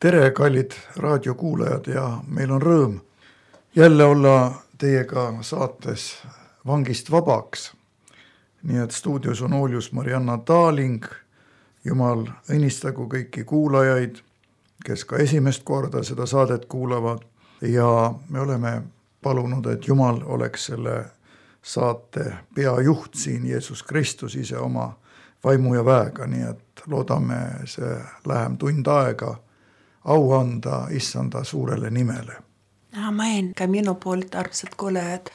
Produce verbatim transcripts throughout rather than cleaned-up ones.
Tere, kallid raadiokuulajad ja meil on rõõm jälle olla teiega saates Vangist vabaks. Nii et stuudios on Oljus Marianna Taaling. Jumal õnnistagu kõiki kuulajaid, kes ka esimest korda seda saadet kuulavad. Ja me oleme palunud, et Jumal oleks selle saate peajuht siin, Jeesus Kristus ise oma vaimu ja väega. Nii et loodame see lähem tund aega au anda issanda suurele nimele. Amen. Ka minu poolt armsad kuulajad.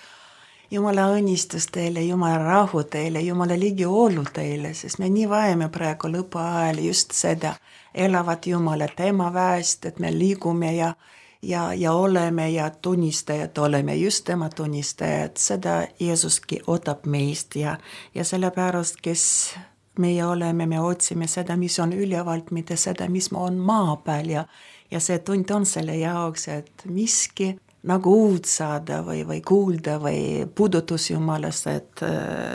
Jumala õnnistus teile, Jumala rahu teile, Jumala ligi olu teile, sest me nii vajame praegu lõpu ajal just seda elavat Jumalat tema väest, et me liigume ja, ja, ja oleme ja tunnistajad oleme, just tema tunnistajad. Seda Jeesuski ootab meist ja, ja sellepärast, kes meie oleme, me otsime seda, mis on ülevalt, mitte seda, mis on maa peal ja, ja see tund on selle jaoks, et miski nagu uud saada või, või kuulda või puudutus Jumalast, et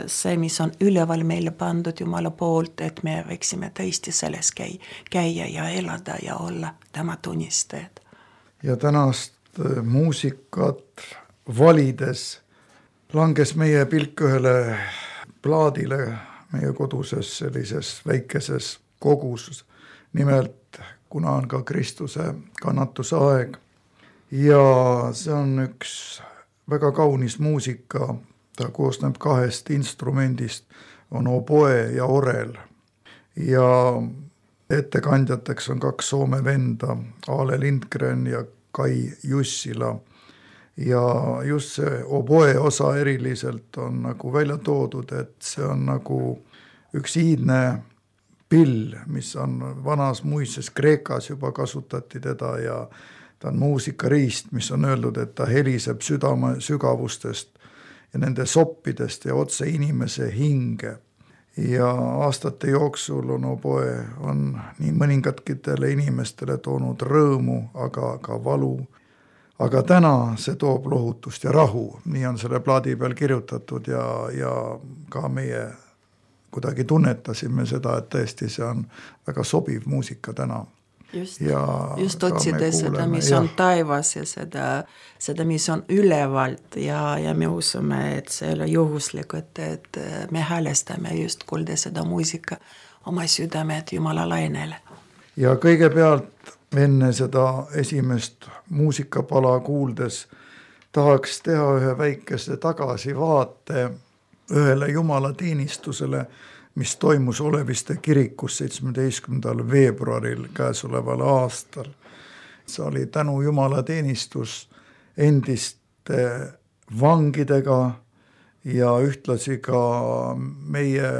see, mis on üleval meile pandud Jumala poolt, et me võiksime tõesti selles käi, käia ja elada ja olla tema tunnistajad. Ja tänast muusikat valides langes meie pilk ühele plaadile meie koduses sellises väikeses kogus. Nimelt, kuna on ka Kristuse kannatuse aeg. Ja see on üks väga kaunis muusika, ta koosneb kahest instrumendist, on oboe ja orel. Ja ettekandjateks on kaks Soome venda, Ale Lindgren ja Kai Jussila. Ja just see oboe osa eriliselt on nagu välja toodud, et see on nagu üks iidne pill, mis on vanas muises Kreekas juba kasutati teda ja ta on muusikariist, mis on öeldud, et ta heliseb südame sügavustest ja nende soppidest ja otse inimese hinge. Ja aastate jooksul on oboe on nii mõningatele inimestele toonud rõõmu, aga ka valu. Aga täna see toob lohutust ja rahu. Nii on selle plaadi peal kirjutatud ja, ja ka meie kuidagi tunnetasime seda, et tõesti see on väga sobiv muusika täna. Just, ja just otsides seda, mis ja. on taivas ja seda, seda, mis on ülevalt ja, ja me usume, et see ei ole juhuslik, et, et me häälestame just kuulda seda muusika oma südamed Jumala lainele. Ja kõigepealt enne seda esimest muusikapala kuuldes tahaks teha ühe väikese tagasivaate ühele Jumala teenistusele, mis toimus Oleviste kirikus seitsmeteistkümnendal veebruaril käesoleval aastal. See oli tänu Jumala teenistus endiste vangidega ja ühtlasi ka meie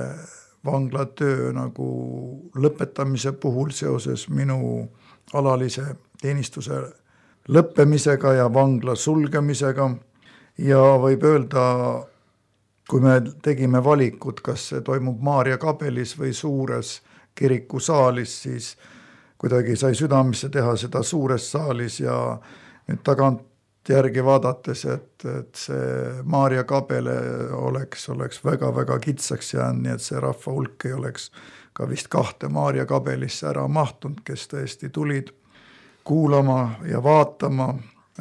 vanglatöö nagu lõpetamise puhul seoses minu alalise teenistuse lõppemisega ja vangla sulgemisega. Ja võib öelda, kui me tegime valikut, kas see toimub Maarja kabelis või suures kirikusaalis, siis kuidagi sai südamesse teha seda suures saalis ja nüüd tagant järgi vaadates, et, et see Maarja kabele oleks, oleks väga-väga kitsaks jäänud, nii et see rahva hulk ei oleks ka vist kahte Maarja kabelisse ära mahtunud, kes tõesti tulid kuulama ja vaatama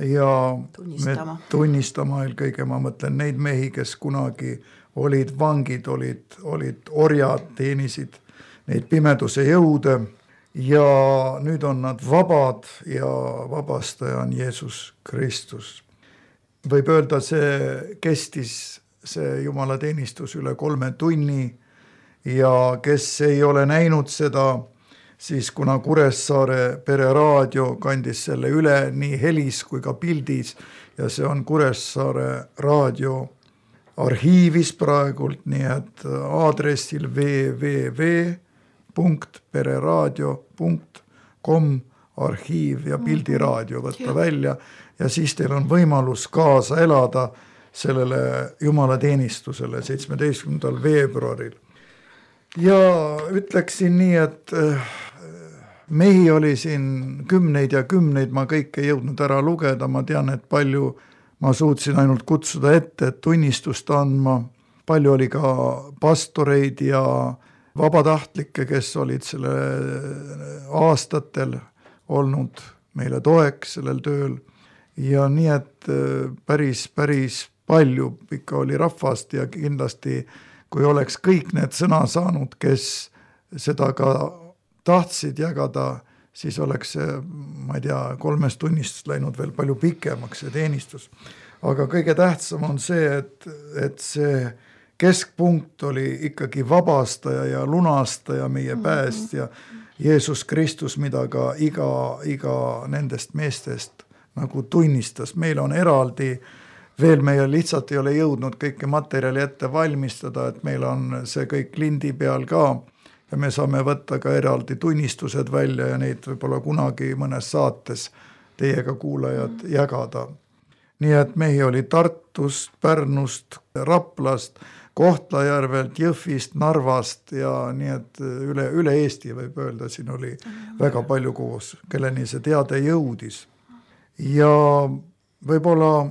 ja tunnistama. tunnistama eelkõige, ma mõtlen neid mehi, kes kunagi olid vangid, olid, olid orjad, teenisid neid pimeduse jõude ja nüüd on nad vabad ja vabastaja on Jeesus Kristus. Võib öelda, see kestis see Jumala teenistus üle kolme tunni ja kes ei ole näinud seda, siis kuna Kuressaare pereraadio kandis selle üle nii helis kui ka pildis ja see on Kuressaare raadio arhiivis praegult, nii et aadressil w w w punkt pereraadio punkt com arhiiv ja pildiraadio võtta välja ja siis teil on võimalus kaasa elada sellele Jumala teenistusele seitsmeteistkümnendal veebruaril. Ja ütleksin nii, et mehi oli siin kümneid ja kümneid, ma kõike ei jõudnud ära lugeda, ma tean, et palju ma suutsin ainult kutsuda ette, et tunnistust andma. Palju oli ka pastoreid ja vabatahtlikke, kes olid selle aastatel olnud meile toeks sellel tööl ja nii, et päris, päris palju ikka oli rahvast ja kindlasti kui oleks kõik need sõna saanud, kes seda ka tahtsid jagada, siis oleks see, ma ei tea, kolmest tunnist läinud veel palju pikemaks see teenistus. Aga kõige tähtsam on see, et, et see keskpunkt oli ikkagi vabastaja ja lunastaja meie päästja Jeesus Kristus, mida ka iga, iga nendest meestest nagu tunnistas. Meil on eraldi, veel meie lihtsalt ei ole jõudnud kõike materjali ette valmistada, et meil on see kõik lindi peal ka ja me saame võtta ka eraldi tunnistused välja ja neid võib-olla kunagi mõnes saates teiega kuulajad jagada. Nii et mehi oli Tartust, Pärnust, Raplast, Kohtla-Järvelt, Jõhvist, Narvast ja nii et üle, üle Eesti võib öelda, siin oli väga palju koos, kelleni see teade jõudis. Ja võib-olla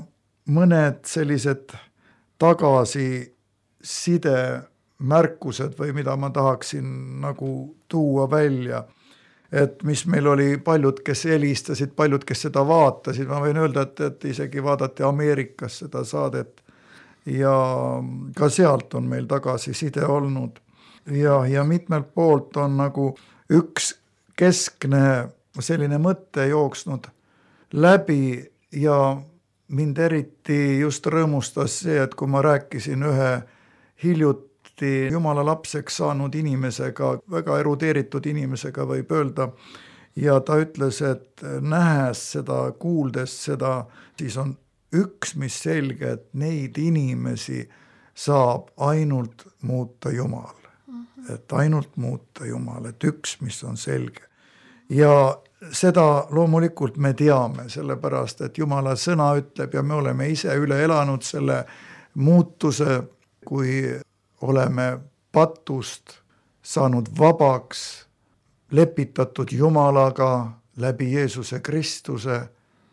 mõned sellised tagasiside märkused või mida ma tahaksin nagu tuua välja, et mis meil oli paljud, kes helistasid, paljud, kes seda vaatasid, ma võin öelda, et, et isegi vaadati Ameerikas seda saadet ja ka sealt on meil tagasiside olnud ja, ja mitmelt poolt on nagu üks keskne selline mõte jooksnud läbi ja mind eriti just rõõmustas see, et kui ma rääkisin ühe hiljuti Jumala lapseks saanud inimesega, väga erudeeritud inimesega võib öelda, ja ta ütles, et nähes seda, kuuldes seda, siis on üks, mis selge, et neid inimesi saab ainult muuta Jumal. Et ainult muuta Jumal, et üks, mis on selge. Ja seda loomulikult me teame, sellepärast, et Jumala sõna ütleb ja me oleme ise üle elanud selle muutuse, kui oleme patust saanud vabaks, lepitatud Jumalaga läbi Jeesuse Kristuse,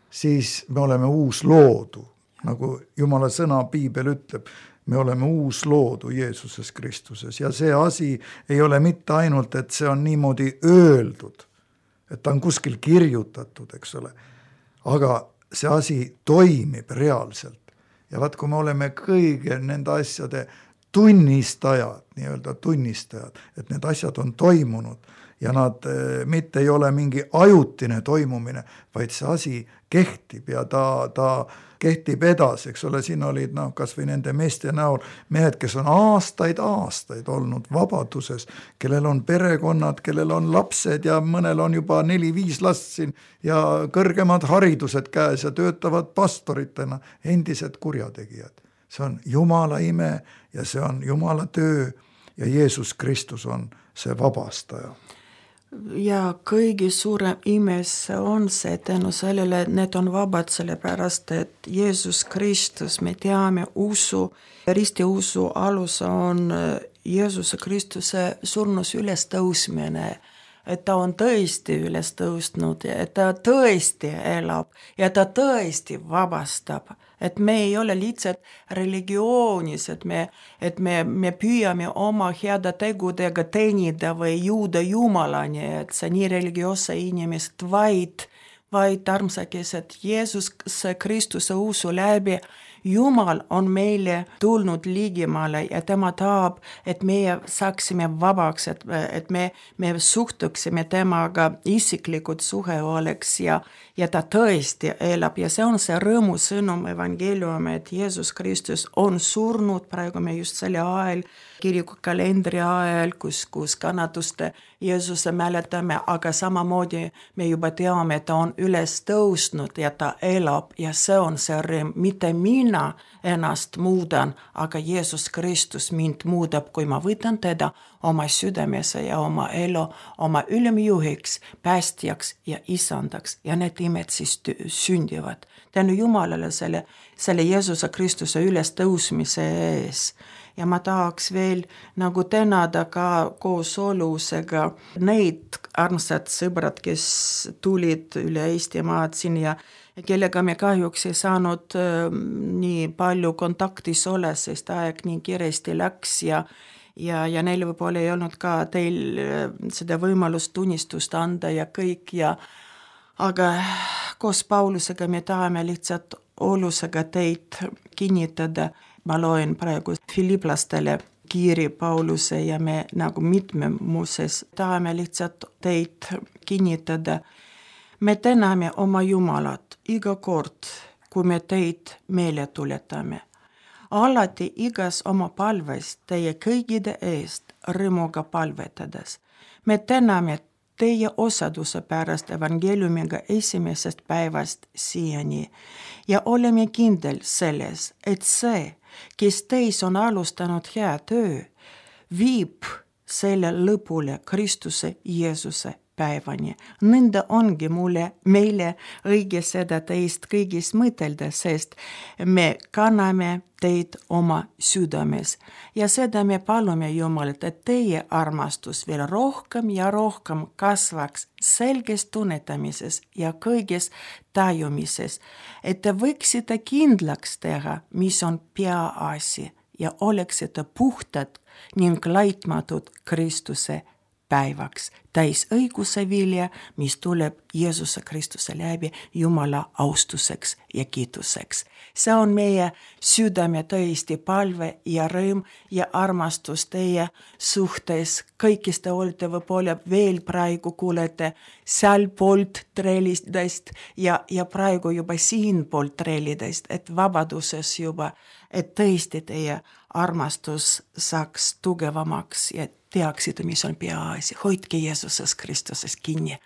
siis me oleme uus loodu, nagu Jumala sõna Piibel ütleb, me oleme uus loodu Jeesuses Kristuses ja see asi ei ole mitte ainult, et see on niimoodi öeldud, et ta on kuskil kirjutatud, eks ole, aga see asi toimib reaalselt ja vaat kui me oleme kõige nende asjade tunnistajad, nii-öelda tunnistajad, et need asjad on toimunud ja nad mitte ei ole mingi ajutine toimumine, vaid see asi kehtib ja ta, ta kehtib edasi, eks ole, siin olid no, kas või nende meeste näol mehed, kes on aastaid, aastaid olnud vabaduses, kellel on perekonnad, kellel on lapsed ja mõnel on juba neli-viis last siin ja kõrgemad haridused käes ja töötavad pastoritena, endised kurjategijad. See on Jumala ime ja see on Jumala töö ja Jeesus Kristus on see vabastaja. Ja kõige suurem imes on see tänu sellele, et need on vabad sellepärast, et Jeesus Kristus, me teame usu, ristiusu alus on Jeesuse Kristuse surnus üles tõusmine, et ta on tõesti üles tõusnud ja et ta tõesti elab ja ta tõesti vabastab. Et me ei ole lihtsalt religioonis, et me, et me, me püüame oma heade tegudega teenida või jõuda Jumalani, et see nii religioosse inimest, vaid, vaid armsakes, et Jeesus Kristuse usu läbi Jumal on meile tulnud ligemale ja tema tahab, et meie saaksime vabaks, et, et me, me suhtuksime temaga isiklikud suhe oleks ja, ja ta tõesti elab ja see on see rõõmu sõnum evangeeliumi, et Jeesus Kristus on surnud, praegu me just selle ajal, kiriku kalendri ajal, kus, kus kannatuste Jeesuse mäletame, aga samamoodi me juba teame, et ta on üles tõusnud ja ta elab ja see on see rõõm, mitte mina ennast muudan, aga Jeesus Kristus mind muudab, kui ma võtan teda oma südamesse ja oma elu, oma ülemjuhiks, päästjaks ja isandaks ja need imed siis sündivad. Tänu Jumalale selle, selle Jeesuse Kristuse üles tõusmise ees. Ja ma tahaks veel nagu tänada ka koos olusega neid armsad sõbrad, kes tulid üle Eesti maad siin ja kellega me kahjuks ei saanud äh, nii palju kontaktis ole, sest aeg nii kiiresti läks ja, ja, ja neil võib-olla ei olnud ka teil äh, seda võimalust tunnistust anda ja kõik ja aga koos Paulusega me tahame lihtsalt olusega teid kinnitada. Ma loen praegu Filiplastele kiiri Pauluse ja me nagu mitmemuses tahame lihtsalt teid kinnitada. Me täname oma Jumalat iga kord, kui me teid meele tuletame. Alati igas oma palves teie kõigide eest rõõmuga palvetades. Me täname teie osaduse pärast evangeeliumiga esimesest päevast siiani ja oleme kindel selles, et see, kes teis on alustanud hea töö, viib selle lõpule Kristuse Jeesuse päevani. Nõnda ongi mulle, meile õige seda teist kõigist mõtelda, sest me kanname teid oma südames ja seda me palume Jumalat, et teie armastus veel rohkem ja rohkem kasvaks selges tunnetamises ja kõiges tajumises, et te võiksite kindlaks teha, mis on peaasi ja oleksite puhtad ning laitmatud Kristuse päevaks, täis õiguse vilja, mis tuleb Jeesuse Kristuse läbi Jumala austuseks ja kiituseks. See on meie südame tõesti palve ja rõõm ja armastus teie suhtes. Kõikis te olete võib-olla veel praegu kuulete seal poolt trellidest ja, ja praegu juba siin poolt trellidest, et vabaduses juba, et tõesti teie armastus saaks tugevamaks ja teaksite, mis on peaasi. Hoidke Jeesuses Kristuses kinni.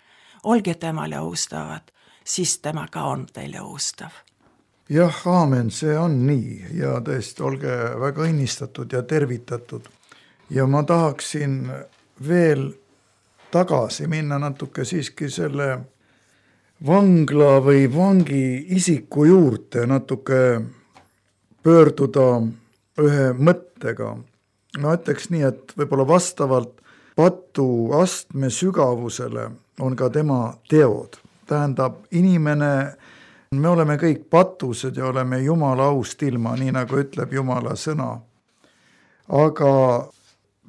Olge temale austavad, siis tema ka on teile austav. Jah, aamen, see on nii ja tõesti, olge väga õnnistatud ja tervitatud. Ja ma tahaksin veel tagasi minna natuke siiski selle vangla või vangi isiku juurde, natuke pöörduda ühe mõttega. Ma ütleks nii, et võib-olla vastavalt patu astme sügavusele on ka tema teod. Tähendab, inimene, me oleme kõik patused ja oleme Jumala aust ilma, nii nagu ütleb Jumala sõna. Aga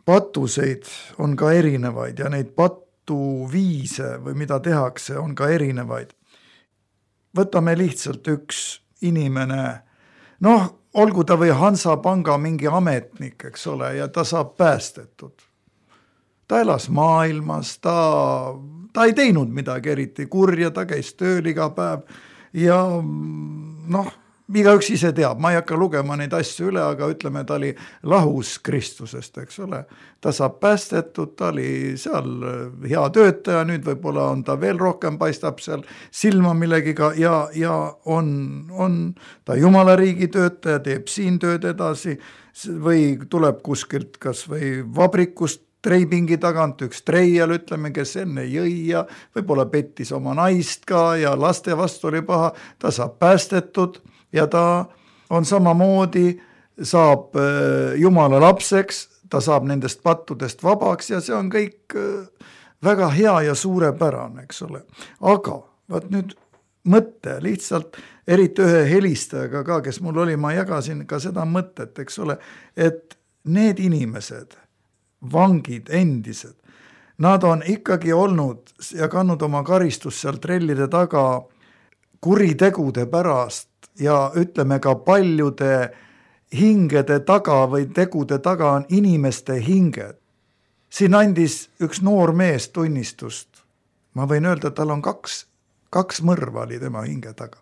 patuseid on ka erinevaid ja neid patuviise või mida tehakse on ka erinevaid. Võtame lihtsalt üks inimene, noh, olgu ta või Hansapanga mingi ametnik, eks ole, ja ta saab päästetud. Ta elas maailmas, ta, ta ei teinud midagi eriti kurja, ta käis tööl iga päev ja noh, igaüks ise teab, ma ei hakka lugema neid asju üle, aga ütleme, ta oli lahus Kristusest, eks ole. Ta saab päästetud, ta oli seal hea töötaja, nüüd võib-olla on ta veel rohkem, paistab seal silma millegiga ja, ja on, on ta Jumala riigi töötaja, teeb siin tööd edasi või tuleb kuskilt kas või vabrikust treipingi tagant, üks treial, ütleme, kes enne jõi ja võib-olla pettis oma naist ka ja laste vastu oli paha, ta saab päästetud ja ta on samamoodi, saab Jumala lapseks, ta saab nendest pattudest vabaks ja see on kõik väga hea ja suurepärane, eks ole. Aga vaat nüüd mõte lihtsalt, eriti ühe helistajaga ka, kes mul oli, ma jagasin ka seda mõtet, eks ole, et need inimesed, vangid, endised, nad on ikkagi olnud ja kannud oma karistust seal trellide taga kuritegude pärast ja ütleme ka paljude hingede taga või tegude taga on inimeste hinged. Siin andis üks noor mees tunnistust. Ma võin öelda, et tal on kaks, kaks mõrva oli tema hinge taga.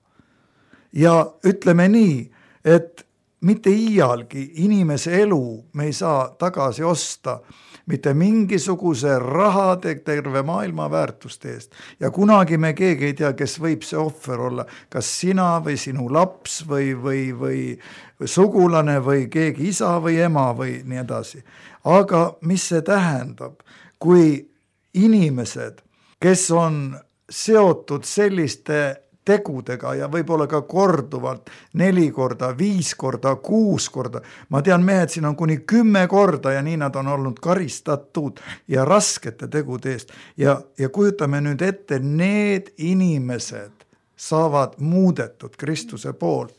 Ja ütleme nii, et mitte iialgi inimese elu me ei saa tagasi osta mitte mingisuguse rahade terve maailma väärtuste eest. Ja kunagi me keegi ei tea, kes võib see ohver olla, kas sina või sinu laps või, või, või, või sugulane või keegi isa või ema või nii edasi. Aga mis see tähendab, kui inimesed, kes on seotud selliste tegudega ja võib-olla ka korduvalt neli korda, viis korda, kuus korda. Ma tean, mehed siin on kuni kümme korda ja nii nad on olnud karistatud ja raskete tegude eest. Ja, ja kujutame nüüd ette, need inimesed saavad muudetud Kristuse poolt.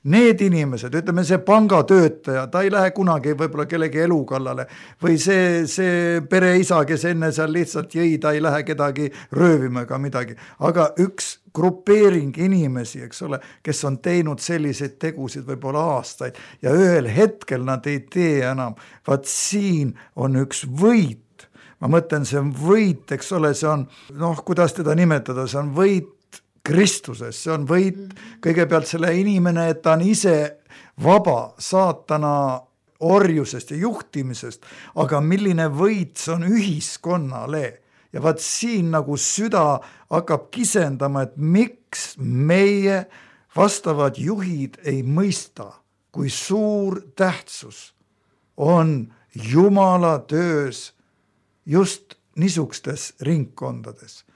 need inimesed, ütleme see pangatöötaja, ta ei lähe kunagi võib-olla kellegi elu kallale või see, see pereisa, kes enne seal lihtsalt jõi, ta ei lähe kedagi röövima ega midagi, aga üks grupeering inimesi, eks ole, kes on teinud selliseid tegusid võib-olla aastaid ja ühel hetkel nad ei tee enam, vaat siin on üks võit, ma mõtlen, see on võit, eks ole, see on, noh, kuidas teda nimetada, see on võit Kristuses, see on võit kõigepealt selle inimene, et ta on ise vaba saatana orjusest ja juhtimisest, aga milline võit see on ühiskonnale. Ja vaat siin nagu süda hakkab kisendama, et miks meie vastavad juhid ei mõista, kui suur tähtsus on Jumala töös just niisugustes ringkondades.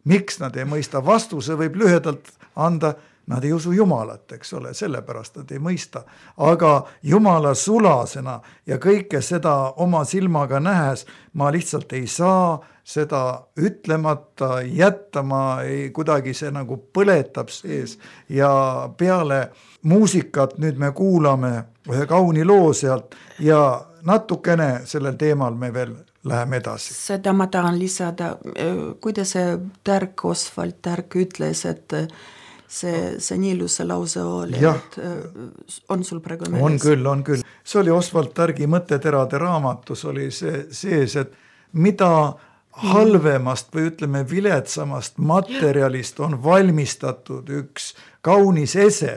Miks nad ei mõista? Vastuse võib lühedalt anda, nad ei usu Jumalat, eks ole, sellepärast nad ei mõista. Aga Jumala sulasena ja kõike seda oma silmaga nähes, ma lihtsalt ei saa seda ütlemata jättama, ei, kuidagi see nagu põletab sees ja peale muusikat nüüd me kuulame ühe kauni loo sealt ja natukene sellel teemal me veel läheme edasi. Seda ma tahan lisada, kuidas see Tärk, Osvald Tärk ütles, et see, see nii ilusa lause oli, ja, et on sul praegu meeles? On küll, on küll. See oli Osvald Tärgi Mõtteterade raamatus oli see sees, et mida halvemast või ütleme viletsamast materjalist on valmistatud üks kaunis ese.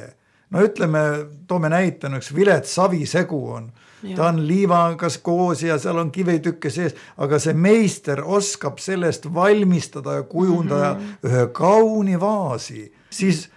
No ütleme, toome näitena, üks vilets savisegu on. Ja. Ta on liivagas koos ja seal on kivitükke sees, aga see meister oskab sellest valmistada ja kujundada mm-hmm. ühe kauni vaasi. Siis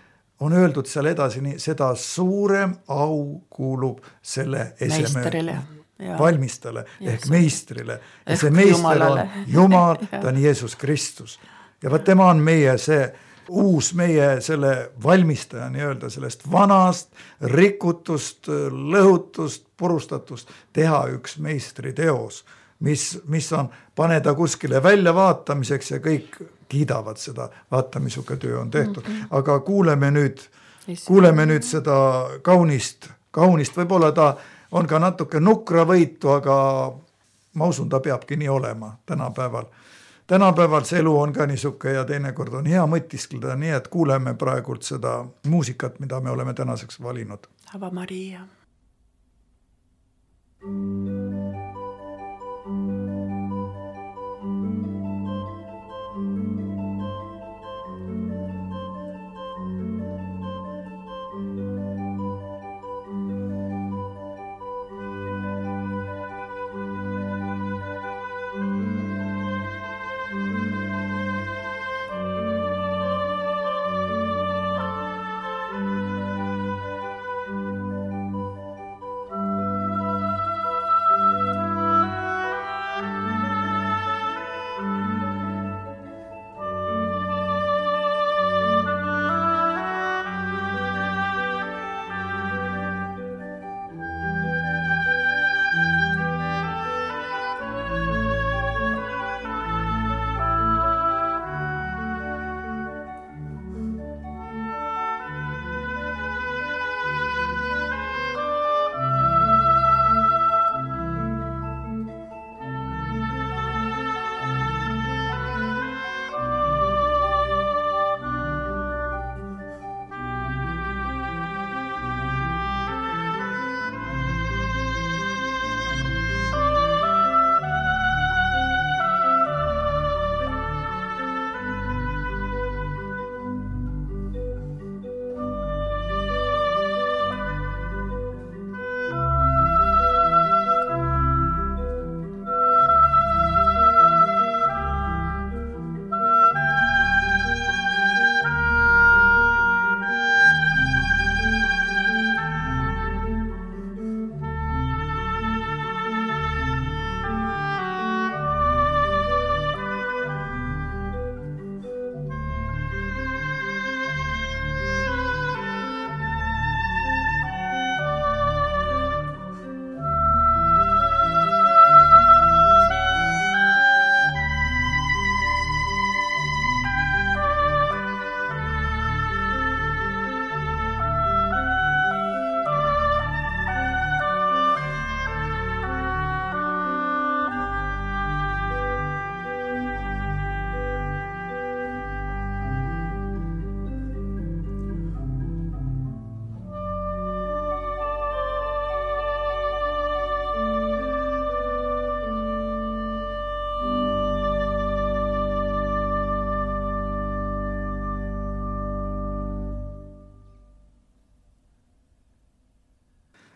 on öeldud seal edasi nii, seda suurem au kuulub selle eseme meisterile. Ja. valmistale ja, ehk meistrile. Ja see meister Jumalale. On Jumal, ta on Jeesus Kristus. Ja vaat tema on meie see uus meie selle valmistaja nii-öelda sellest vanast, rikutust, lõhutust, purustatust teha üks meistri teos, mis, mis on paneda kuskile välja vaatamiseks ja kõik kiidavad seda, vaata, misuke töö on tehtud. Mm-hmm. Aga kuuleme nüüd, kuuleme nüüd seda kaunist, kaunist, võib-olla ta on ka natuke nukra võitu, aga ma usun, ta peabki nii olema tänapäeval. Tänapäeval see elu on ka niisuke ja teinekord on hea mõtiskleda, nii et kuuleme praegult seda muusikat, mida me oleme tänaseks valinud. Ava Maria.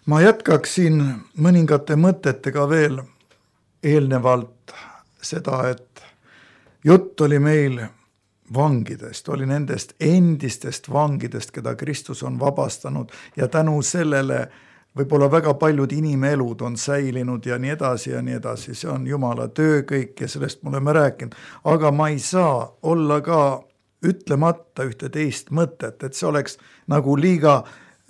ma jätkaksin mõningate mõtetega veel eelnevalt seda, et jutt oli meil vangidest, oli nendest endistest vangidest, keda Kristus on vabastanud ja tänu sellele võib-olla väga paljud inimelud on säilinud ja nii edasi ja nii edasi, see on Jumala töö kõik ja sellest me oleme rääkinud, aga ma ei saa olla ka ütlemata ühte teist mõtet, et see oleks nagu liiga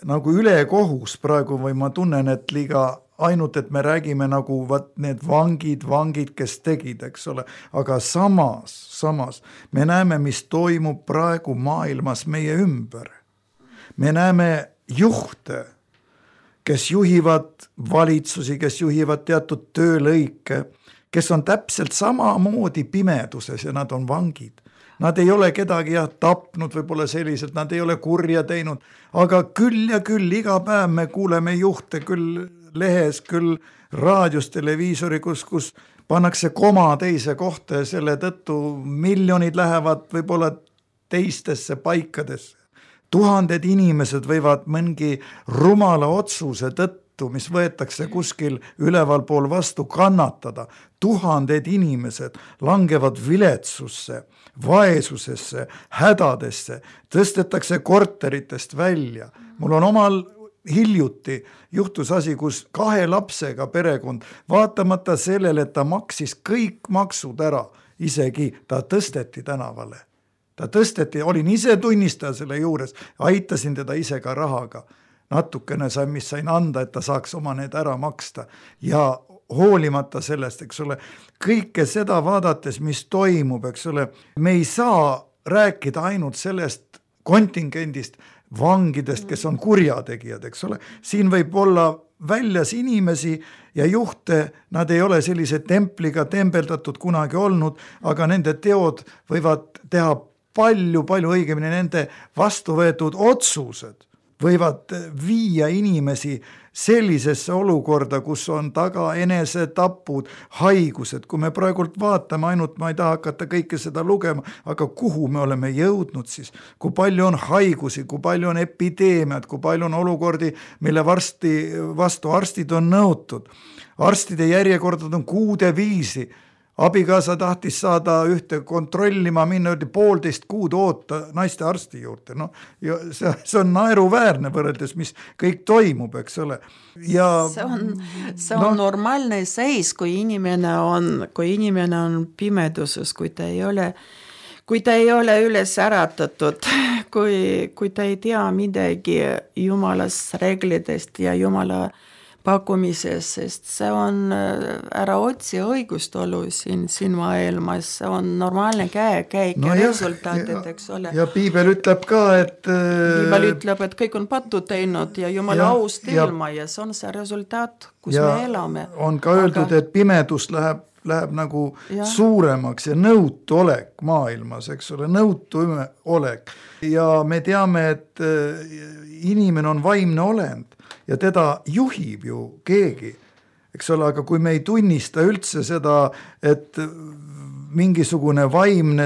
nagu ülekohus praegu või ma tunnen, et liiga ainult, et me räägime nagu vaat need vangid, vangid, kes tegid, eks ole, aga samas, samas me näeme, mis toimub praegu maailmas meie ümber. Me näeme juhte, kes juhivad valitsusi, kes juhivad teatud töölõike, kes on täpselt samamoodi pimeduses ja nad on vangid. Nad ei ole kedagi jah, tapnud võib-olla selliselt, nad ei ole kurja teinud, aga küll ja küll iga päev me kuuleme juhte küll lehes, küll raadios, televiisori, kus, kus pannakse koma teise kohta ja selle tõttu miljonid lähevad võib-olla teistesse paikadesse. Tuhanded inimesed võivad mingi rumala otsuse tõttu, mis võetakse kuskil üleval pool vastu kannatada. Tuhanded inimesed langevad viletsusse, vaesusesse, hädadesse, tõstetakse korteritest välja. Mul on omal hiljuti juhtus asi, kus kahe lapsega perekond, vaatamata sellele, et ta maksis kõik maksud ära, isegi ta tõsteti tänavale. Ta tõsteti, olin ise tunnistaja selle juures, aitasin teda ise ka rahaga. Natukene sain, mis sain anda, et ta saaks oma need ära maksta ja hoolimata sellest, eks ole, kõike seda vaadates, mis toimub, eks ole, me ei saa rääkida ainult sellest kontingendist, vangidest, kes on kurjategijad, eks ole, siin võib olla väljas inimesi ja juhte, nad ei ole sellise templiga tembeldatud kunagi olnud, aga nende teod võivad teha palju, palju õigemini nende vastu võetud otsused võivad viia inimesi sellisesse olukorda, kus on taga enesetapud, haigused, kui me praegult vaatame ainult, ma ei taha hakata kõike seda lugema, aga kuhu me oleme jõudnud siis, kui palju on haigusi, kui palju on epideemiad, kui palju on olukordi, mille varsti, vastu arstid on nõutud. Arstide järjekordad on kuude viisi. Abikaasa tahtis saada ühte kontrollima, minna öeldi poolteist kuud oota naiste arsti juurde. No, ja see, see on naeruväärne võrreldes, mis kõik toimub, eks ole. Ja, see on, see on no, normaalne seis, kui inimene on, kui inimene on pimeduses, kui ta ei ole, kui ta ei ole üles äratatud, kui, kui ta ei tea midagi Jumalast reeglitest ja Jumala pakkumises, sest see on ära otsi õigustolu siin, siin maailmas, see on normaalne käe, käik no ja resultaatid, eks ole. Ja piibel ütleb ka, et piibel ütleb, et kõik on pattu teinud ja Jumala aust ilma ja see on see resultaat, kus me elame. On ka öeldud, aga... et pimedus läheb, läheb nagu ja. Suuremaks ja nõutu olek maailmas, eks ole, nõutu olek. Ja me teame, et inimene on vaimne olend ja teda juhib ju keegi, eks ole, aga kui me ei tunnista üldse seda, et mingisugune vaimne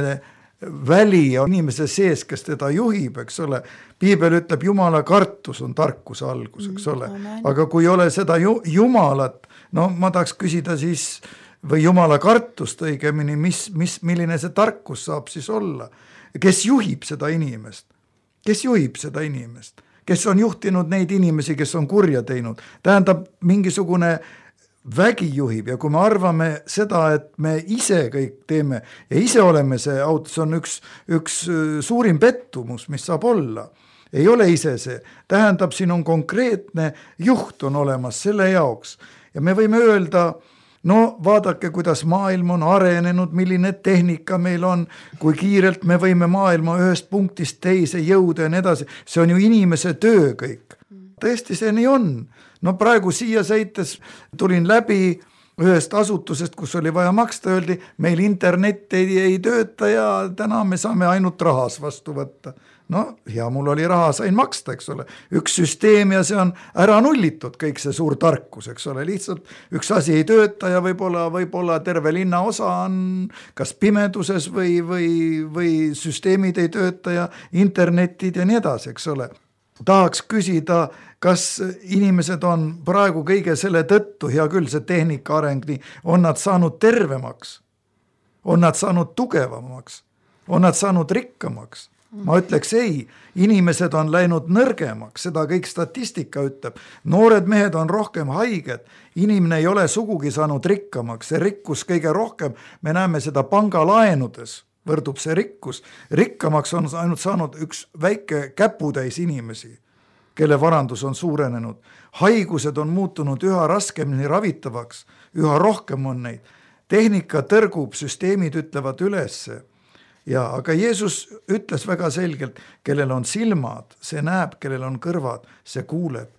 väli on inimese sees, kes teda juhib, eks ole, piibel ütleb, Jumala kartus on tarkuse algus, eks ole, aga kui ei ole seda Jumalat, no ma tahaks küsida siis, või Jumala kartust õigemini, mis, mis, milline see tarkus saab siis olla, kes juhib seda inimest, kes juhib seda inimest, kes on juhtinud neid inimesi, kes on kurja teinud. Tähendab, mingisugune vägi juhib ja kui me arvame seda, et me ise kõik teeme ja ise oleme see auto, see on üks, üks suurim pettumus, mis saab olla. Ei ole ise see. Tähendab, siin on konkreetne juht on olemas selle jaoks ja me võime öelda, no vaadake, kuidas maailm on arenenud, milline tehnika meil on, kui kiirelt me võime maailma ühest punktist teise jõuda ja nii edasi. See on ju inimese töö kõik. Tõesti see nii on. No praegu siia sõites tulin läbi ühest asutusest, kus oli vaja maksta, öeldi, meil internet ei, ei tööta ja täna me saame ainult rahas vastu võtta. No ja mul oli raha, sain maksta, eks ole. Üks süsteem ja see on ära nullitud, kõik see suur tarkus, eks ole. Lihtsalt üks asi ei tööta ja võib-olla, võib-olla terve linna osa on kas pimeduses või, või, või süsteemid ei tööta ja internetid ja nii edasi, eks ole. tahaks küsida, kas inimesed on praegu kõige selle tõttu, hea küll, see tehnika areng, nii, on nad saanud tervemaks, on nad saanud tugevamaks, on nad saanud rikkamaks. Ma ütleks ei, inimesed on läinud nõrgemaks, seda kõik statistika ütleb. Noored mehed on rohkem haiged, inimene ei ole sugugi saanud rikkamaks, see rikkus kõige rohkem, me näeme seda pangalaenudes, võrdub see rikkus. Rikkamaks on ainult saanud üks väike käputäis inimesi, kelle varandus on suurenenud. Haigused on muutunud üha raskemini ravitavaks, üha rohkem on neid. Tehnika tõrgub, süsteemid ütlevad ülesse. Ja, aga Jeesus ütles väga selgelt, kellel on silmad, see näeb, kellel on kõrvad, see kuuleb.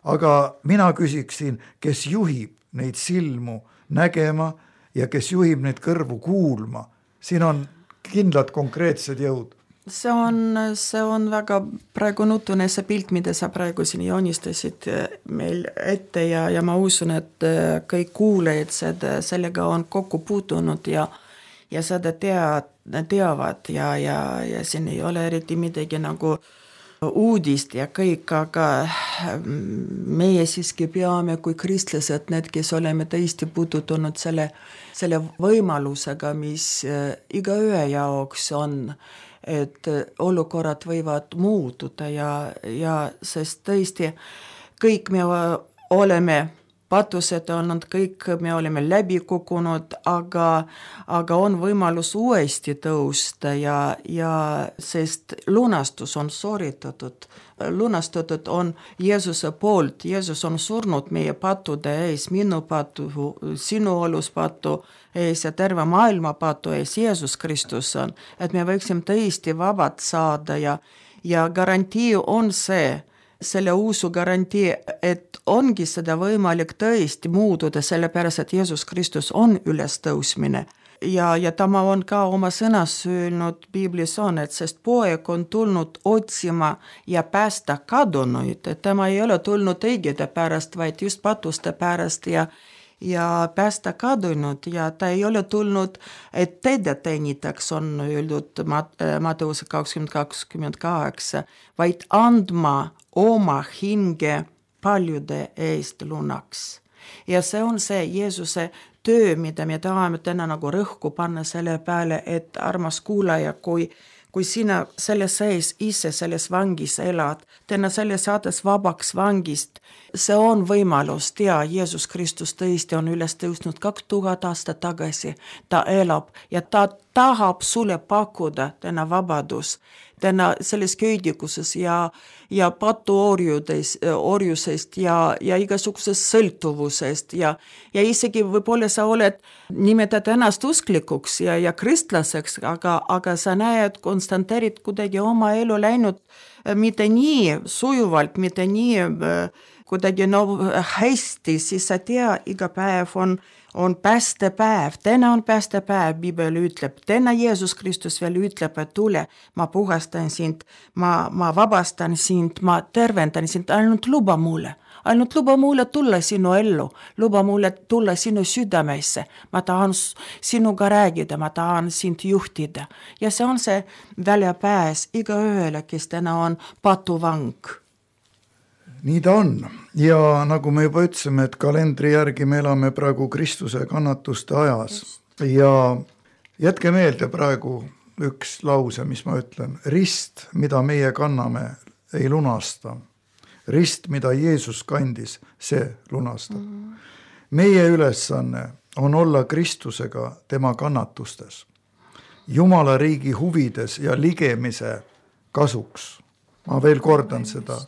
Aga mina küsiksin, kes juhib neid silmu nägema ja kes juhib neid kõrvu kuulma. Siin on kindlad konkreetsed jõud. See on, see on väga praegu nutune see pilt, mida sa praegu siin joonistasid meil ette ja, ja ma usun, et kõik kuulejad seda, sellega on kokku puutunud ja ja seda tead, teavad ja, ja, ja siin ei ole eriti midagi nagu uudist ja kõik, aga meie siiski peame kui kristlased, need, kes oleme tõesti puutunud selle, selle võimalusega, mis iga ühe jaoks on, et olukorrad võivad muutuda ja, ja sest tõesti kõik me oleme patused on nad kõik, me oleme läbi kogunud, aga, aga on võimalus uuesti tõusta ja, ja sest lunastus on sooritatud. Lunastatud on Jeesuse poolt, Jeesus on surnud meie patude ees, minu patu, sinu olus patu ees ja terve maailma patu ees, Jeesus Kristus on, et me võiksime tõesti vabad saada ja, ja garantii on see, selle uusu garantii, et ongi seda võimalik tõesti muutuda, sellepärast, et Jeesus Kristus on ülestõusmine. Ja, ja ta on ka oma sõnas öelnud, Biblis on, et sest poeg on tulnud otsima ja päästa kadunuid, et tema ei ole tulnud õigede pärast, vaid just patuste pärast ja ja päästa kadunud ja ta ei ole tulnud, et teda teenitaks, on öeldud Matteuse kakskümmend kakskümmend kaheksa, vaid andma oma hinge paljude eest lunaks. Ja see on see Jeesuse töö, mida me tahame täna nagu rõhku panna selle peale, et armas kuulaja, kui kui sina selles sees ise selles vangis elad, täna selle saades vabaks vangist, see on võimalus, tea, Jeesus Kristus tõesti on üles tõusnud kaks tuhat aastat tagasi, ta elab ja ta tahab sulle pakkuda täna vabadus, täna selles köidikuses ja, ja patuorjudes, orjusest ja, ja igasugusest sõltuvusest ja, ja isegi võib-olla sa oled nimetad ennast usklikuks ja, ja kristlaseks, aga, aga sa näed, konstanteerid kuidagi oma elu läinud mitte nii sujuvalt, mitte nii kuidagi no, hästi, siis sa tea, iga päev on on päästepäev, täna on päästepäev, Bibel ütleb, täna Jeesus Kristus veel ütleb, et tule, ma puhastan sind, ma, ma vabastan sind, ma tervendan sind, ainult luba mulle, ainult luba mulle tulla sinu ellu, luba mulle tulla sinu südamesse, ma tahan sinuga räägida, ma tahan sind juhtida ja see on see väljapääs iga ühele, kes täna on patuvang. Nii ta on ja nagu me juba ütlesime, et kalendri järgi me elame praegu Kristuse kannatuste ajas ja jätke meelde praegu üks lause, mis ma ütlen, rist, mida meie kanname, ei lunasta, rist, mida Jeesus kandis, see lunastab. Meie ülesanne on olla Kristusega tema kannatustes, Jumala riigi huvides ja ligemise kasuks. Ma veel kordan seda.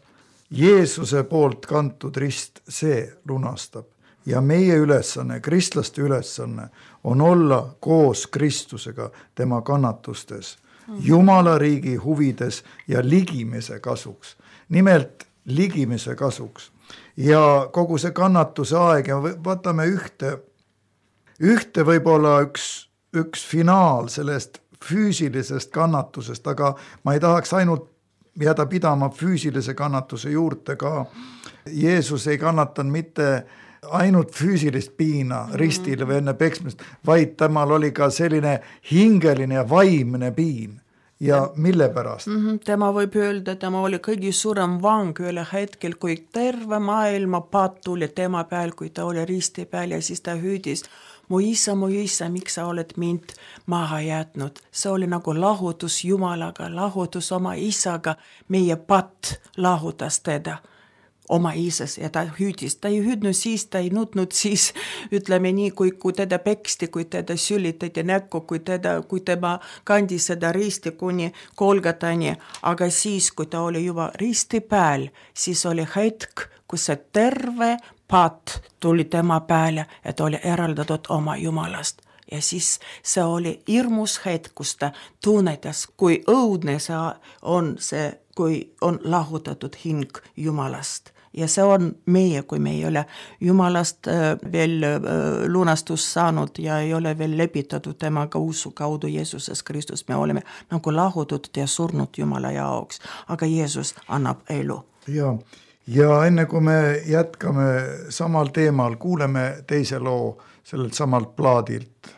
Jeesuse poolt kantud rist, see lunastab ja meie ülesanne, kristlaste ülesanne on olla koos Kristusega tema kannatustes, Jumala riigi huvides ja ligimise kasuks. Nimelt ligimise kasuks ja kogu see kannatuse aeg ja võtame ühte, ühte võib-olla üks, üks finaal sellest füüsilisest kannatusest, aga ma ei tahaks ainult jääda pidama füüsilise kannatuse juurde ka. Jeesus ei kannatan mitte ainult füüsilist piina ristil või enne peksmist, vaid temal oli ka selline hingeline ja vaimne piin. ja mille pärast? Mm-hmm. Tema võib öelda, tema oli kõige suurem vang üle hetkel, kui terve maailma paat tuli tema peal, kui ta oli risti peal ja siis ta hüüdis, mu isa, mu isa, miks sa oled mind maha jätnud? See oli nagu lahutus Jumalaga, lahutus oma isaga, meie patt lahutas teda oma isas ja ta hüüdis, ta ei hüüdnud siis, ta ei nutnud siis, ütleme nii, kui, kui teda peksti, kui teda sülitati näkku, kui, teda, kui tema kandis seda risti kuni Kolgatani, aga siis, kui ta oli juba risti peal, siis oli hetk, kus see terve paat tuli tema peale, et oli eraldatud oma Jumalast. Ja siis see oli hirmus hetk, kus ta tunnetas, kui õudne see on, see, kui on lahutatud hing Jumalast. Ja see on meie, kui me ei ole Jumalast äh, veel äh, lunastus saanud ja ei ole veel lepitatud temaga usu kaudu Jeesuses Kristus. Me oleme nagu lahutatud ja surnud Jumala jaoks, aga Jeesus annab elu. Ja, ja enne kui me jätkame samal teemal, kuuleme teise loo sellelt samalt plaadilt.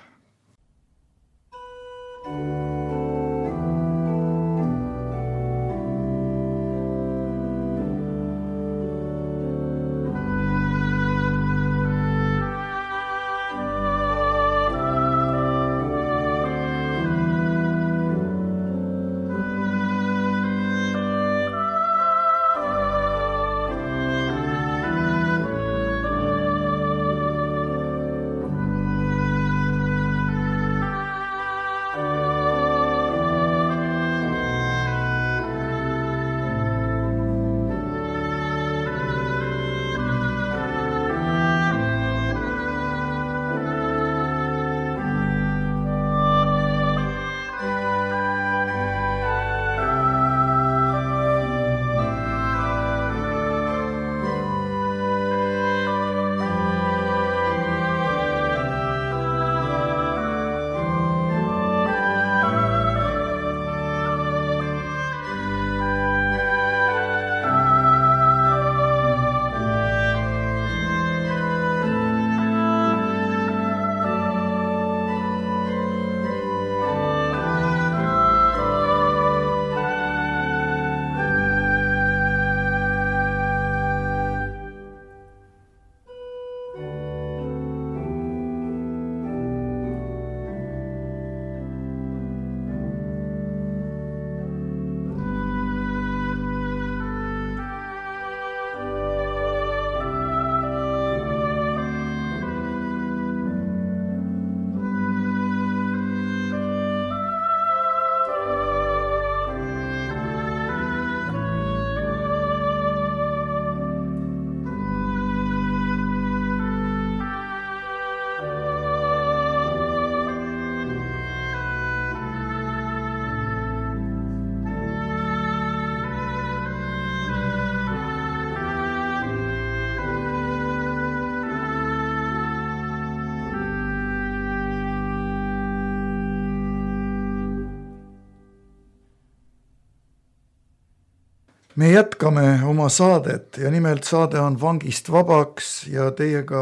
Me jätkame oma saadet ja nimelt saade on Vangist vabaks ja teiega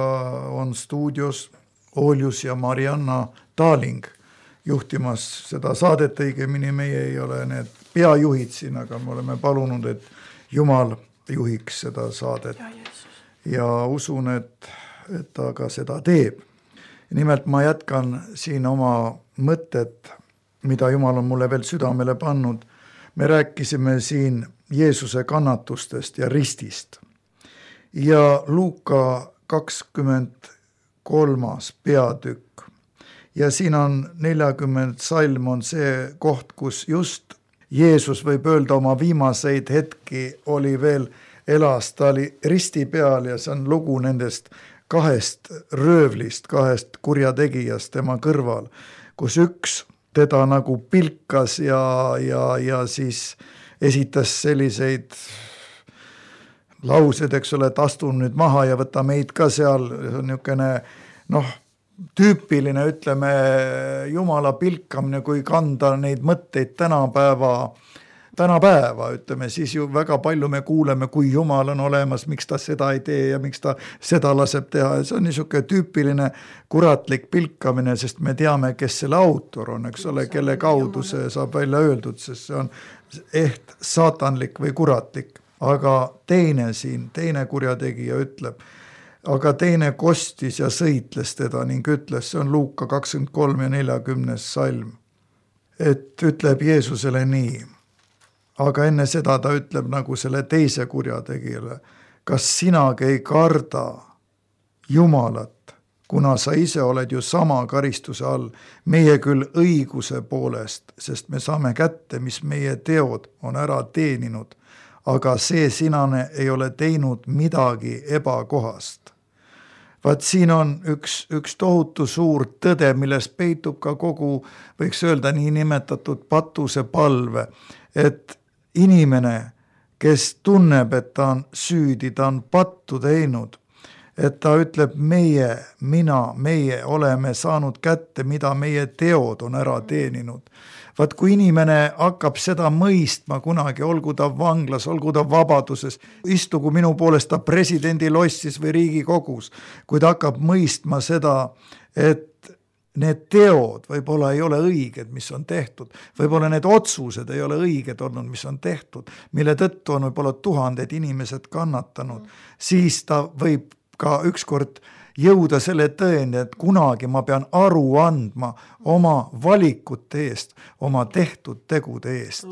on stuudios Oljus ja Marianna Taaling juhtimas seda saadet, õigemini meie ei ole need peajuhid siin, aga me oleme palunud, et Jumal juhiks seda saadet ja, ja usun, et, et ta ka seda teeb. Nimelt ma jätkan siin oma mõtted, mida Jumal on mulle veel südamele pannud. Me rääkisime siin Jeesuse kannatustest ja ristist. Ja Luuka kakskümmend kolmas peatükk. Ja siin on nelikümmend salm on see koht, kus just Jeesus võib öelda oma viimaseid hetki oli veel elas, ta oli risti peal ja see on lugu nendest kahest röövlist, kahest kurjategijast tema kõrval, kus üks teda nagu pilkas ja, ja, ja siis esitas selliseid laused, eks ole, et astun nüüd maha ja võta meid ka seal, see on niisugune noh, tüüpiline, ütleme, Jumala pilkamine, kui kanda neid mõtteid tänapäeva tänapäeva, ütleme, siis ju väga palju me kuuleme, kui Jumal on olemas, miks ta seda ei tee ja miks ta seda laseb teha. See on niisugune tüüpiline kuratlik pilkamine, sest me teame, kes selle autor on, eks ole, kelle kaudu see saab välja öeldud, sest see on eht saatanlik või kuratlik. Aga teine siin, teine kurjategija ütleb, aga teine kostis ja sõitles teda ning ütles, see on Luuka kakskümmend kolm ja neljakümnes salm, et ütleb Jeesusele nii, aga enne seda ta ütleb nagu selle teise kurjategijale, kas sinagi ei karda Jumalat, kuna sa ise oled ju sama karistuse all, meie küll õiguse poolest, sest me saame kätte, mis meie teod on ära teeninud, aga see sinane ei ole teinud midagi ebakohast. Vaat siin on üks, üks tohutu suur tõde, milles peitub ka kogu, võiks öelda nii nimetatud patuse palve, et inimene, kes tunneb, et ta on süüdi, ta on pattu teinud, et ta ütleb meie, mina, meie oleme saanud kätte, mida meie teod on ära teeninud. Vaat kui inimene hakkab seda mõistma kunagi, olgu ta vanglas, olgu ta vabaduses, istugu minu poolest ta presidendi lossis või Riigikogus, kui ta hakkab mõistma seda, et need teod võib-olla ei ole õiged, mis on tehtud, võib-olla need otsused ei ole õiged olnud, mis on tehtud, mille tõttu on võib-olla tuhanded inimesed kannatanud, siis ta võib ka ükskord jõuda selle tõeni, et kunagi ma pean aru andma oma valikute eest, oma tehtud tegude eest.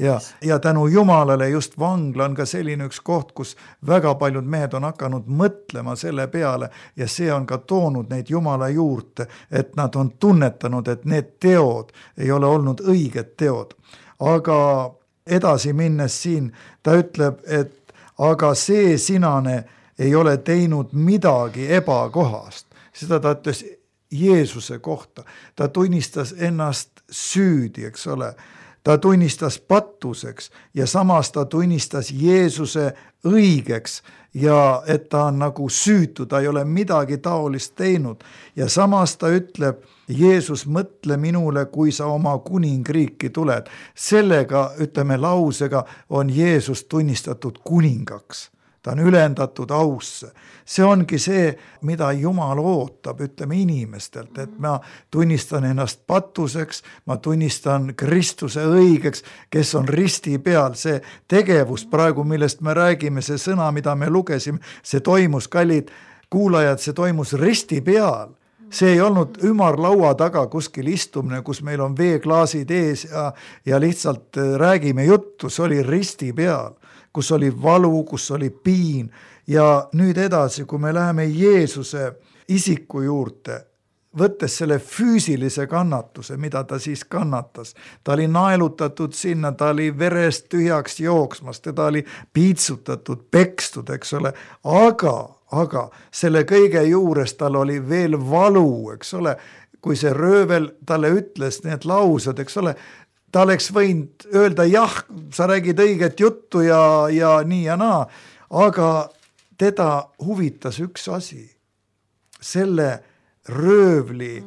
Ja, ja tänu Jumalale just vangla on ka selline üks koht, kus väga paljud mehed on hakanud mõtlema selle peale ja see on ka toonud neid Jumala juurde, et nad on tunnetanud, et need teod ei ole olnud õiged teod. Aga edasi minnes siin, ta ütleb, et aga see sinane ei ole teinud midagi ebakohast. Seda ta ütles Jeesuse kohta. Ta tunnistas ennast süüdi, eks ole. Ta tunnistas pattuseks ja samas ta tunnistas Jeesuse õigeks ja et ta on nagu süütu, ta ei ole midagi taolist teinud. Ja samas ta ütleb, Jeesus, mõtle minule, kui sa oma kuningriiki tuled. Sellega, ütleme lausega, on Jeesus tunnistatud kuningaks. Ta on ülendatud ausse. See ongi see, mida Jumal ootab, ütleme inimestelt, et ma tunnistan ennast patuseks, ma tunnistan Kristuse õigeks, kes on risti peal. See tegevus praegu, millest me räägime, see sõna, mida me lugesime, see toimus, kallid kuulajad, see toimus risti peal. See ei olnud ümarlaua taga kuskil istumine, kus meil on veeklaasid ees ja, ja lihtsalt räägime juttu, see oli risti peal, kus oli valu, kus oli piin ja nüüd edasi, kui me läheme Jeesuse isiku juurde, võttes selle füüsilise kannatuse, mida ta siis kannatas, ta oli naelutatud sinna, ta oli verest tühjaks jooksmas, teda oli piitsutatud, pekstud, eks ole, aga, aga selle kõige juures tal oli veel valu, eks ole, kui see röövel talle ütles need laused, eks ole, ta oleks võinud öelda jah, sa räägid õiget juttu ja, ja nii ja naa, aga teda huvitas üks asi, selle röövli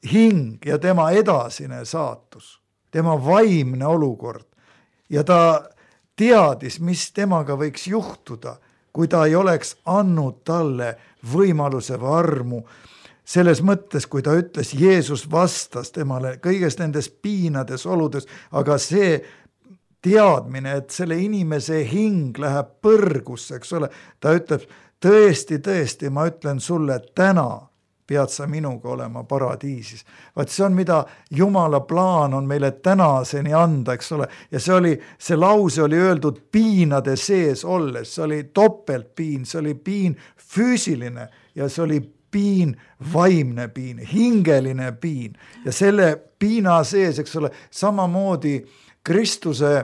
hing ja tema edasine saatus, tema vaimne olukord ja ta teadis, mis temaga võiks juhtuda, kui ta ei oleks andnud talle võimaluse või armu. Selles mõttes, kui ta ütles, Jeesus vastas temale kõigest nendes piinades oludes, aga see teadmine, et selle inimese hing läheb põrgusse, eks ole, ta ütleb, tõesti, tõesti, ma ütlen sulle, täna pead sa minuga olema paradiisis. Vaat see on, mida Jumala plaan on meile tänaseni anda, eks ole, ja see oli, see lause oli öeldud piinade sees olles, see oli topeltpiin, see oli piin füüsiline ja see oli piin, vaimne piin, hingeline piin ja selle piina sees, eks ole, samamoodi Kristuse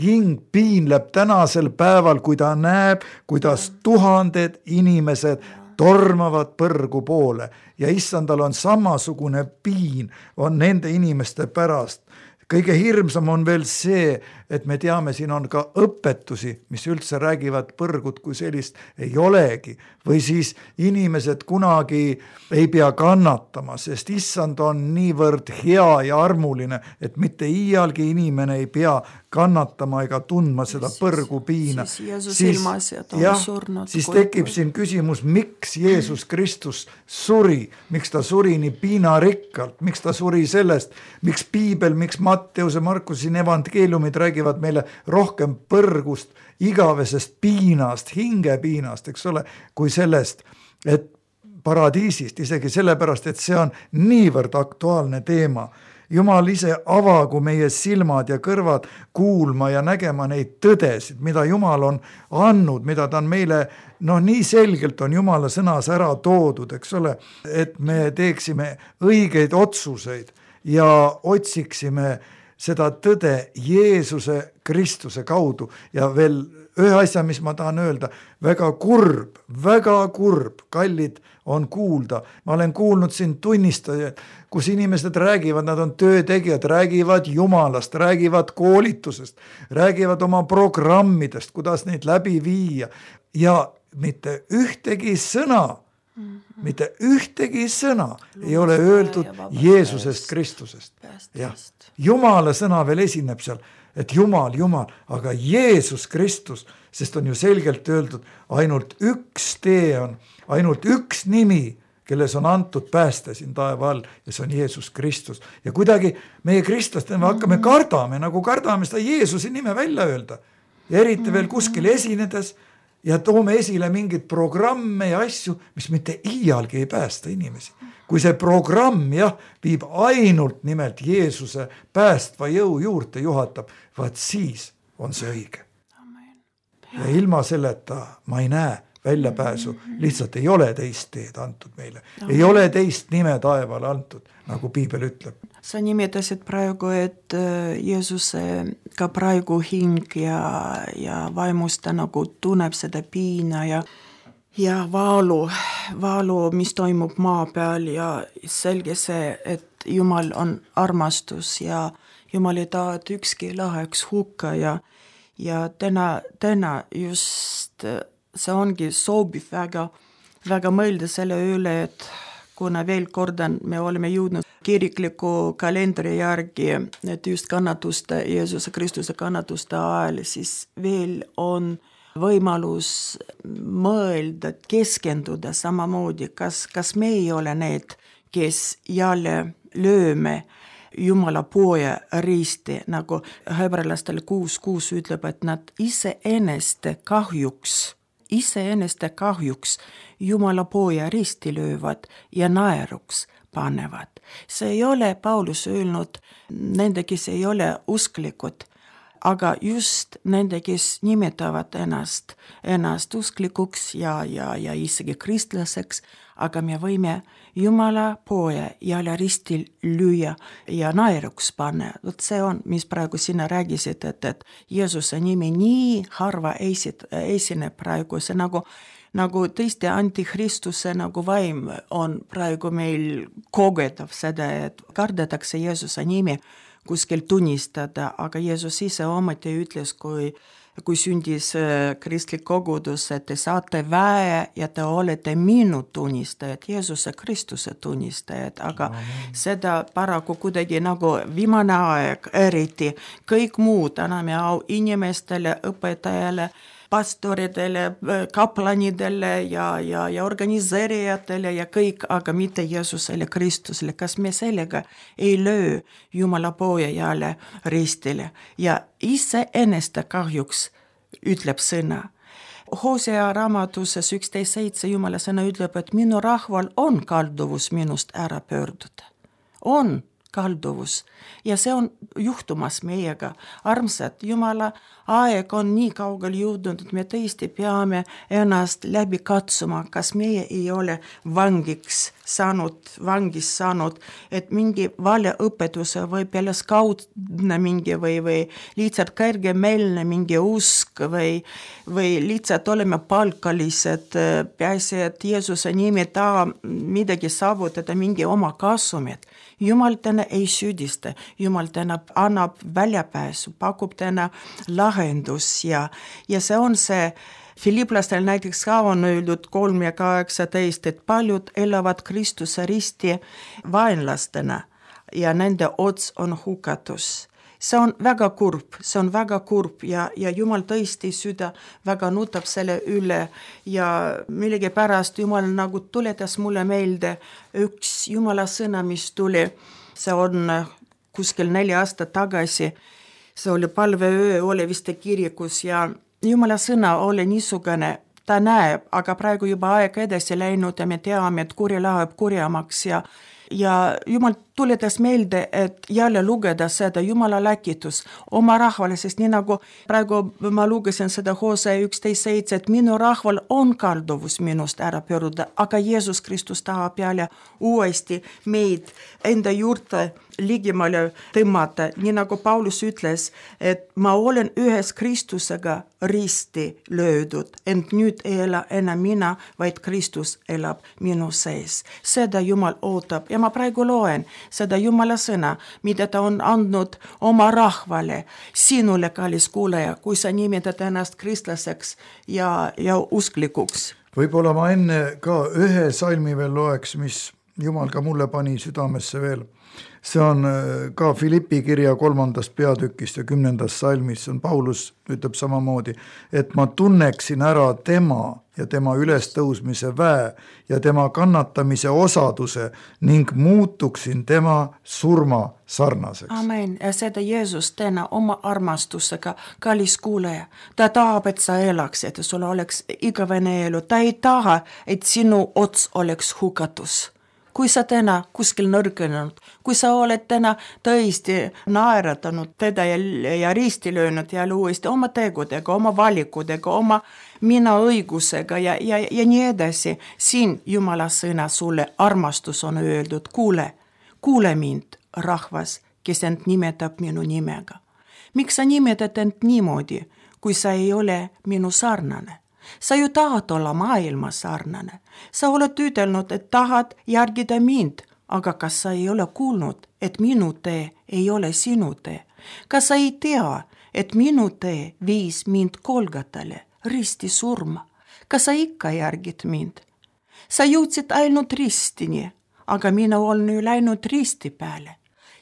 hing piinleb tänasel päeval, kui ta näeb, kuidas tuhanded inimesed tormavad põrgu poole ja issandal on samasugune piin, on nende inimeste pärast. kõige hirmsam on veel see, et me teame, siin on ka õpetusi, mis üldse räägivad põrgut kui sellist ei olegi. Või siis inimesed kunagi ei pea kannatama, sest issand on niivõrd hea ja armuline, et mitte iialgi inimene ei pea kannatama ega tundma seda põrgu piina. Siis Jeesus ilmas ja ta on surnud. Siis tekib siin küsimus, miks Jeesus Kristus suri, miks ta suri nii piinarikkalt, miks ta suri sellest, miks piibel, miks Matteuse, Markusin evangeeliumid räägivad meile rohkem põrgust, igavesest piinast, hingepiinast, eks ole, kui sellest, et paradiisist, isegi sellepärast, et see on niivõrd aktuaalne teema. Jumal ise avagu meie silmad ja kõrvad kuulma ja nägema neid tõdesid, mida Jumal on andnud, mida ta on meile, noh nii selgelt on Jumala sõnas ära toodud, eks ole, et me teeksime õigeid otsuseid ja otsiksime seda tõde Jeesuse Kristuse kaudu ja veel ühe asja, mis ma tahan öelda, väga kurb, väga kurb, kallid on kuulda. Ma olen kuulnud siin tunnistajaid, kus inimesed räägivad, nad on töötegijad, räägivad Jumalast, räägivad koolitusest, räägivad oma programmidest, kuidas neid läbi viia ja mitte ühtegi sõna, mm-hmm. mitte ühtegi sõna Luusta ei ole öeldud Jeesusest Kristusest. Ja, Jumala sõna veel esineb seal, et Jumal, Jumal, aga Jeesus Kristus, sest on ju selgelt öeldud, ainult üks tee on, ainult üks nimi, kelles on antud pääste siin taeva all ja see on Jeesus Kristus. Ja kuidagi meie kristlaste me hakkame kardame, nagu kardame seda Jeesuse nime välja öelda. Ja eriti veel kuskil esinedes ja toome esile mingid programme ja asju, mis mitte iialgi ei päästa inimesi. Kui see programm jah, viib ainult nimelt Jeesuse päästva jõu juurde juhatab, vaat siis on see õige. Ja ilma selleta ma ei näe väljapääsu, lihtsalt ei ole teist teed antud meile. Ei ole teist nime taevale antud, nagu piibel ütleb. Sa nimetasid praegu, et Jeesuse ka praegu hing ja, ja vaimusta nagu tunneb seda piina ja ja vaalu, vaalu, mis toimub maa peal ja selge see, et Jumal on armastus ja Jumal ei taha, et ükski läheks hukka ja, ja täna, täna just see ongi sobiv väga, väga mõelda selle üle, et kuna veel kordan, me oleme jõudnud kirikliku kalendri järgi, et just kannatuste, Jeesuse Kristuse kannatuste ajal, siis veel on võimalus mõelda, keskenduda samamoodi, kas, kas me ei ole need, kes jälle lööme Jumala poja risti, nagu hebralastele kuus kuus ütleb, et nad iseenneste kahjuks, iseenneste kahjuks Jumala poja risti löövad ja naeruks panevad. See ei ole Paulus öelnud nende, kes ei ole usklikud, aga just nende, kes nimetavad ennast, ennast usklikuks ja, ja, ja isegi kristlaseks, aga me võime Jumala poja jälle ristil lüüa ja naeruks panna. Vot see on, mis praegu sina räägisid, et, et Jeesuse nimi nii harva esit, esineb praegu. See nagu, nagu tõesti antikristuse nagu vaim on praegu meil kogetav seda, et kardetakse Jeesuse nimi kuskil tunnistada, aga Jeesus ise ometi ütles, kui, kui sündis kristlik kogudus, et te saate väe ja te olete minu tunnistajad, Jeesuse Kristuse tunnistajad, aga Amen. Seda paraku kuidagi nagu viimane aeg eriti, kõik muud anname au inimestele, õpetajale, pastoridele, kaplanidele ja, ja, ja organiseerijatele ja kõik, aga mitte Jeesusele Kristusele. Kas me sellega ei löö Jumala poja jälle ristile ja ise enneste kahjuks ütleb sõna. Hosea raamatuses üksteist seitse Jumala sõna ütleb, et minu rahval on kalduvus minust ära pöörduda. On kalduvus ja see on juhtumas meiega. Armsad, Jumala aeg on nii kaugel jõudnud, et me tõesti peame ennast läbi katsuma, kas meie ei ole vangiks saanud, vangis saanud, et mingi valeõpetuse või pealeskaudne mingi või, või lihtsalt kõrgemeelne mingi usk või, või lihtsalt oleme palkalised, peaasi, et Jeesuse nimi taha midagi saavutada, mingi oma kasumit. Jumal täna ei süüdista, Jumal täna annab väljapääsu, pakub täna lahendus ja, ja see on see, Filiplastel näiteks ka on öeldud kolm ja kaheksateist, et paljud elavad Kristuse risti vaenlastena ja nende ots on hukatus. See on väga kurb, see on väga kurb ja, ja Jumal tõesti süda väga nutab selle üle ja millegipärast Jumal nagu tuletas mulle meelde üks Jumala sõna, mis tuli, see on kuskil neli aastat tagasi, see oli palveöö, oli vist kirikus ja Jumala sõna oli niisugune, ta näeb, aga praegu juba aeg edasi läinud ja me teame, et kuri läheb kurjamaks ja ja Jumal tuletas meelde, et jälle lugeda seda Jumala läkitus oma rahvale, sest nii nagu praegu ma lugesin seda Hosea üksteist seitse, et minu rahval on kalduvus minust ära pööruda, aga Jeesus Kristus tahab jälle uuesti meid enda juurde ligemale tõmmata, nii nagu Paulus ütles, et ma olen ühes Kristusega risti löödud, ent nüüd ei ela enam mina, vaid Kristus elab minu sees. Seda Jumal ootab ja ma praegu loen seda Jumala sõna, mida ta on andnud oma rahvale, sinule, kallis kuulaja, kui sa nimetad ennast kristlaseks ja, ja usklikuks. Võib-olla ma enne ka ühe salmi veel loeks, mis Jumal ka mulle pani südamesse veel. See on ka Filippi kirja kolmandast peatükist ja kümnendast salmis, on Paulus ütleb samamoodi, et ma tunneksin ära tema ja tema ülestõusmise väe ja tema kannatamise osaduse ning muutuksin tema surma sarnaseks. Amen. Ja seda Jeesus täna oma armastusega, kallis kuuleja. Ta tahab, et sa elaks, et sul oleks igavene elu. Ta ei taha, et sinu ots oleks hukatus. Kui sa täna kuskil nõrgenud, kui sa oled täna tõesti naeratanud teda ja, ja risti löönud ja uuesti oma tegudega, oma valikudega, oma mina õigusega ja, ja, ja nii edasi, siin Jumala sõna sulle armastus on öeldud, kuule, kuule mind, rahvas, kes end nimetab minu nimega. Miks sa nimetad end niimoodi, kui sa ei ole minu sarnane? Sa ju tahad olla maailma sarnane. Sa oled ütelnud, et tahad järgida mind, aga kas sa ei ole kuulnud, et minu tee ei ole sinu tee? Kas sa ei tea, et minu tee viis mind Golgatale, risti surma? Kas sa ikka järgid mind? Sa jõudsid ainult ristini, aga mina olen ju läinud risti peale.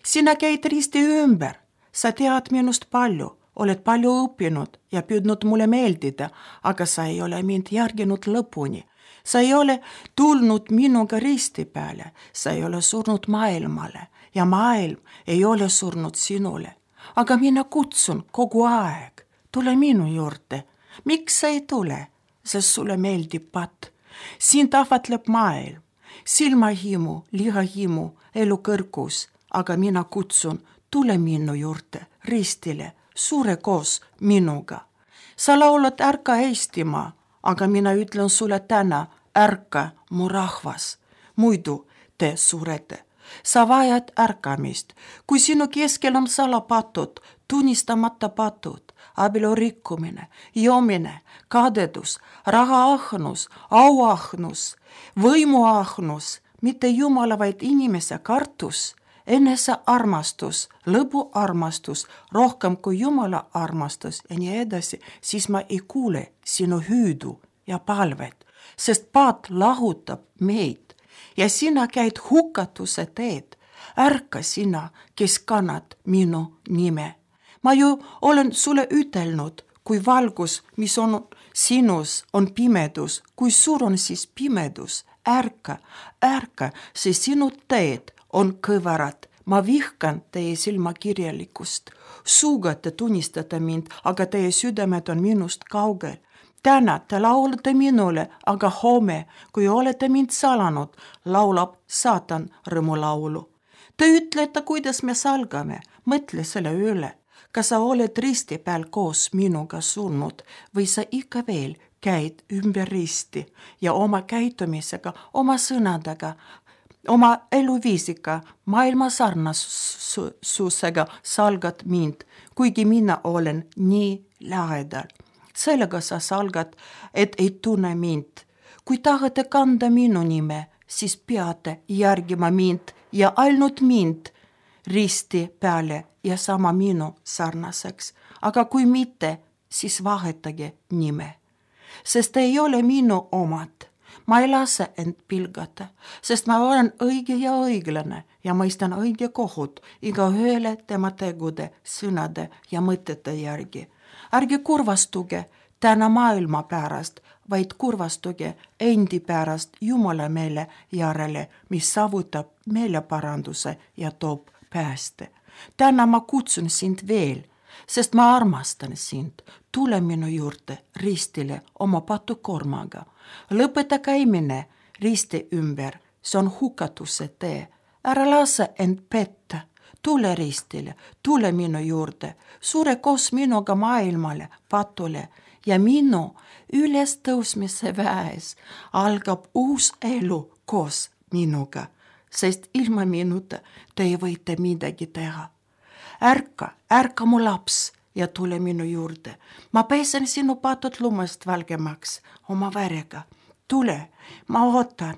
Sina käid risti ümber, sa tead minust palju. Oled palju õppinud ja püüdnud mulle meeldida, aga sa ei ole mind järginud lõpuni. Sa ei ole tulnud minuga risti peale, sa ei ole surnud maailmale ja maailm ei ole surnud sinule. Aga mina kutsun kogu aeg, tule minu juurde. Miks sa ei tule? Sest sulle meeldib pat. Siin tahvatleb maailm, silmahimu, lihahimu, elu kõrgus, aga mina kutsun, tule minu juurde ristile. Suure koos minuga. Sa laulad ärka Eestimaa, aga mina ütlen sulle täna, ärka mu rahvas. Muidu te surete. Sa vajad ärkamist. Kui sinu keskel on salapatud, tunnistamata patud, abielu rikkumine, joomine, kadedus, rahaahnus, auahnus, võimuahnus, mitte Jumala, vaid inimese kartus, enese armastus, lõbu armastus, rohkem kui Jumala armastus ja nii edasi, siis ma ei kuule sinu hüüdu ja palvet, sest paat lahutab meid ja sina käid hukatuse teed. Ärka sina, kes kannad minu nime. Ma ju olen sulle ütelnud, kui valgus, mis on sinus, on pimedus, kui suur on siis pimedus. Ärka, ärka, see sinu teed on kõvarad. Ma vihkan teie silmakirjalikust. Suuga te tunnistate mind, aga teie südamed on minust kaugel. Täna te laulate minule, aga homme, kui olete mind salanud, laulab saatan rõõmulaulu. Te ütlete, kuidas me salgame. Mõtle selle üle. Kas sa oled risti peal koos minuga surnud või sa ikka veel käid ümber risti ja oma käitumisega, oma sõnadega, oma eluviisiga, maailma sarnasusega salgad mind, kuigi mina olen nii lähedal. Sellega sa salgad, et ei tunne mind. Kui tahate kanda minu nime, siis peate järgima mind ja ainult mind risti peale ja sama minu sarnaseks, aga kui mitte, siis vahetage nime. Sest ei ole minu omad. Ma ei lase end pilgata, sest ma olen õige ja õiglane ja mõistan õige kohut iga ühele tema tegude, sõnade ja mõtete järgi. Ärge kurvastuge täna maailma pärast, vaid kurvastuge endi pärast Jumala meele järele, mis saavutab meeleparanduse ja toob pääste. Täna ma kutsun sind veel, sest ma armastan sind. Tule minu juurde ristile oma patukormaga. Lõpeta käimine risti ümber, see on hukatuse tee. Ära lase end petta. Tule ristile, tule minu juurde, sure koos minuga maailmale, patule ja minu ülestõusmise väes algab uus elu koos minuga, sest ilma minuta te ei võite midagi teha. Ärka, ärka mu laps ja tule minu juurde. Ma pesen sinu patud lumest valgemaks oma verega. Tule, ma ootan.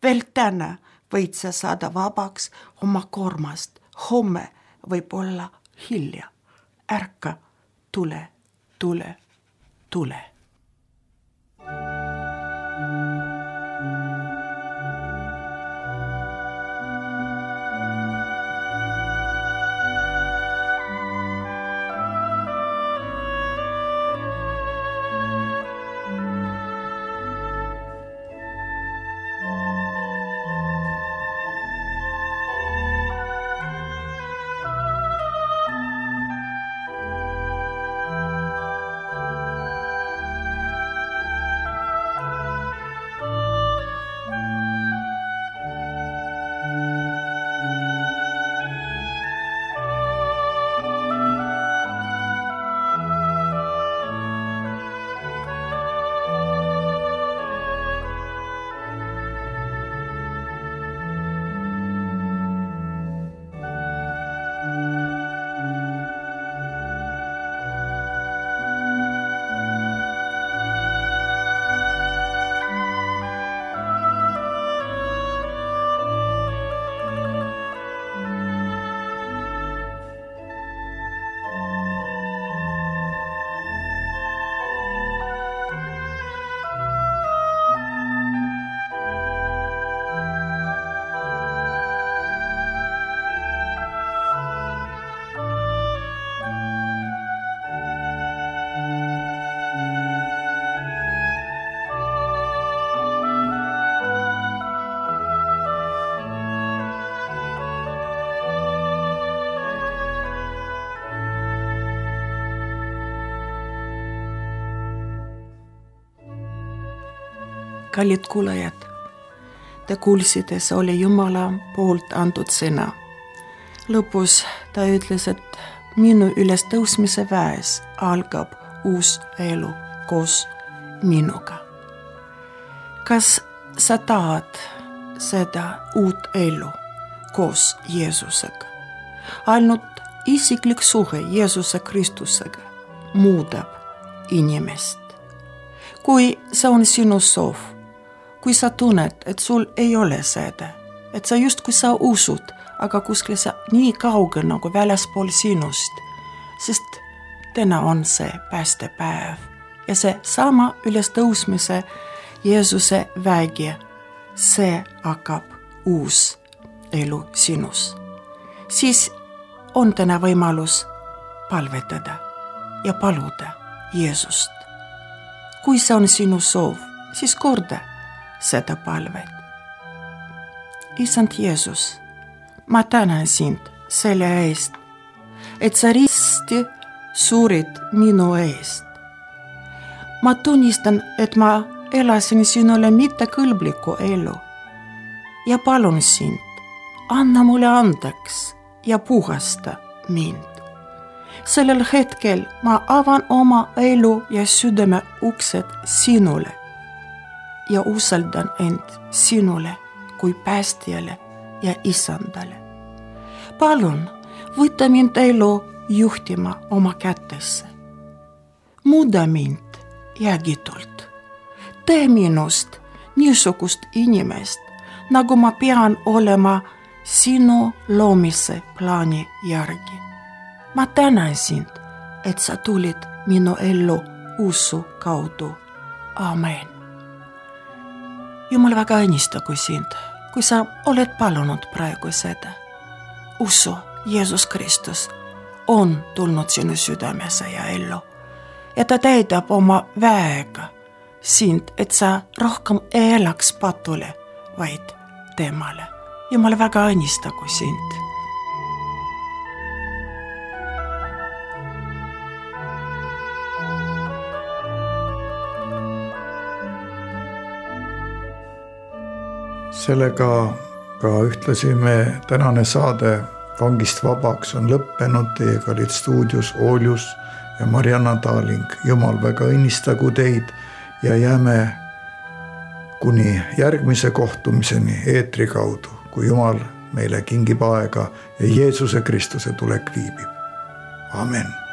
Veel täna võid sa saada vabaks oma kormast. Homme võib olla hilja. Ärka, tule, tule, tule. Kallid kuulajad, te kuulsite, see oli Jumala poolt antud sõna. Lõpus ta ütles, et minu ülestõusmise väes algab uus elu koos minuga. Kas sa tahad seda uut elu koos Jeesusega? Ainult isiklik suhe Jeesuse Kristusega muudab inimest. Kui see on sinu soov, kui sa tunned, et sul ei ole seda, et sa just kui sa usud, aga kuskil sa nii kauge nagu väljaspool sinust, sest täna on see päästepäev ja see sama ülestõusmise Jeesuse vägi, see hakkab uus elu sinus. Siis on täna võimalus palvetada ja paluda Jeesust. Kui see on sinu soov, siis korda seda palvet. Isand Jeesus, ma tänan sind selle eest, et sa risti surid minu eest. Ma tunnistan, et ma elasin sinule mitte kõlbliku elu ja palun sind, anna mulle andeks ja puhasta mind. Sellel hetkel ma avan oma elu ja südame uksed sinule ja usaldan end sinule kui päästjale ja isandale. Palun, võta mind elu juhtima oma kätesse. Muuda mind jäägitult. Tee minust niisugust inimest, nagu ma pean olema sinu loomise plaani järgi. Ma tänan sind, et sa tulid minu ellu usu kaudu. Amen. Jumal väga õnnistagu sind, kui sa oled palunud praegu seda. Usu, Jeesus Kristus on tulnud sinu südamesse ja ellu ja ta täidab oma väega sind, et sa rohkem ei elaks patule, vaid temale. Jumal väga õnnistagu sind. Sellega ka ühtlasi me tänane saade Vangist vabaks on lõppenud. Teiega olid stuudios Oljus ja Marianna Taaling. Jumal väga õnnistagu teid ja jääme kuni järgmise kohtumiseni eetri kaudu, kui Jumal meile kingib aega ja Jeesuse Kristuse tulek viibib. Amen.